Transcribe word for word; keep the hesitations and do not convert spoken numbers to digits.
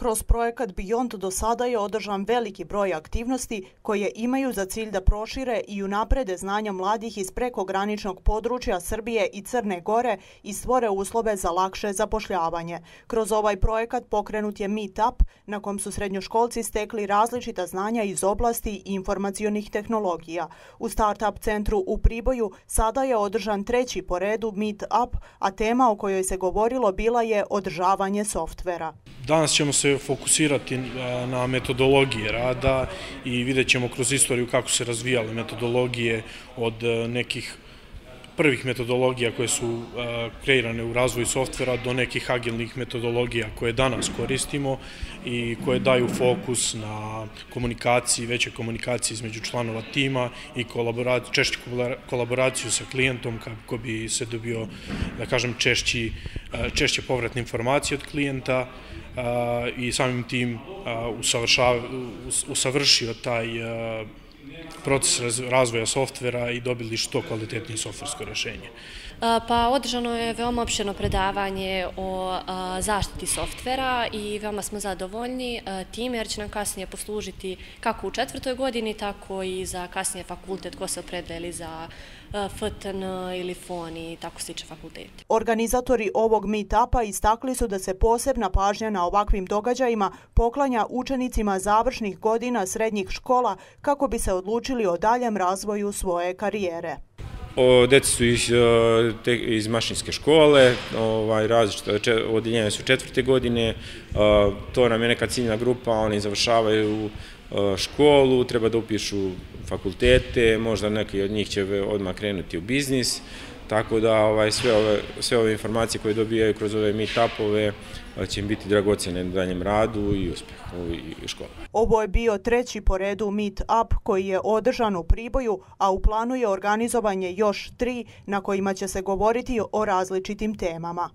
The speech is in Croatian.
Kroz projekat Beyond do sada je održan veliki broj aktivnosti koje imaju za cilj da prošire i unaprede znanja mladih iz prekograničnog područja Srbije i Crne Gore i stvore uslove za lakše zapošljavanje. Kroz ovaj projekat pokrenut je Meetup, na kom su srednjoškolci stekli različita znanja iz oblasti informacionih tehnologija. U Startup centru u Priboju sada je održan treći po redu Meetup, a tema o kojoj se govorilo bila je održavanje softvera. Danas ćemo se fokusirati na metodologije rada i vidjet ćemo kroz istoriju kako se razvijale metodologije od nekih prvih metodologija koje su kreirane u razvoju softvera do nekih agilnih metodologija koje danas koristimo i koje daju fokus na komunikaciji, veće komunikaciji između članova tima i češću kolaboraciju sa klijentom kako bi se dobio, da kažem, češći, češće povratne informacije od klijenta i samim tim usavršio taj proces razvoja softvera i dobili što kvalitetnije softversko rješenje. Pa održano je veoma opširno predavanje o zaštiti softvera i veoma smo zadovoljni time jer će nam kasnije poslužiti kako u četvrtoj godini, tako i za kasnije fakultet ko se opredeli za F T N ili F O N i tako slične fakulteti. Organizatori ovog meetupa istakli su da se posebna pažnja na ovakvim događajima poklanja učenicima završnih godina srednjih škola kako bi se odlučili o daljem razvoju svoje karijere. Djeca su iz, iz mašinske škole, ovaj, različite odeljenja su četvrte godine, to nam je neka ciljna grupa, oni završavaju školu, treba da upišu fakultete, možda neki od njih će odmah krenuti u biznis, tako da ovaj, sve, ove, sve ove informacije koje dobijaju kroz ove meetupove će im biti dragocjene na daljem radu i uspjehu u školi. Ovo je bio treći po redu Meetup koji je održan u Priboju, a u planu je organizovanje još tri na kojima će se govoriti o različitim temama.